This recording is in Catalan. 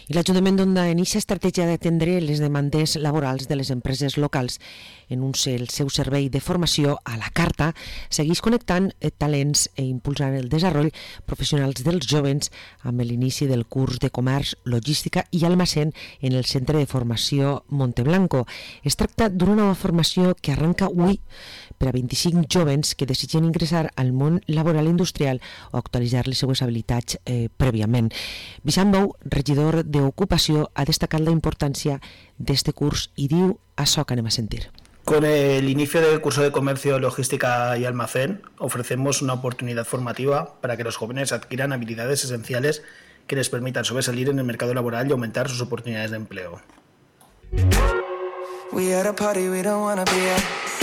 I l'Ajuntament d'Onda inicia estratègia d'atendre les demandes laborals de les empreses locals. En el seu servei de formació a la carta segueix connectant talents i impulsant el desenvolupament professionals dels joves amb l'inici del curs de comerç, logística i almacén en el Centre de Formació Monteblanco. Es tracta d'una nova formació que arrenca avui per a 25 joves que desitgen ingressar al món laboral industrial o actualitzar les seues habilitats prèviament. Vicent Bou, regidor d'Ocupació, ha destacat la importància d'este curs y diu això que anem a sentir. Con el inicio del curso de Comercio, Logística y Almacén, ofrecemos una oportunidad formativa para que los jóvenes adquieran habilidades esenciales que les permitan sobresalir en el mercado laboral y aumentar sus oportunidades de empleo. We at a party we don't wanna be at.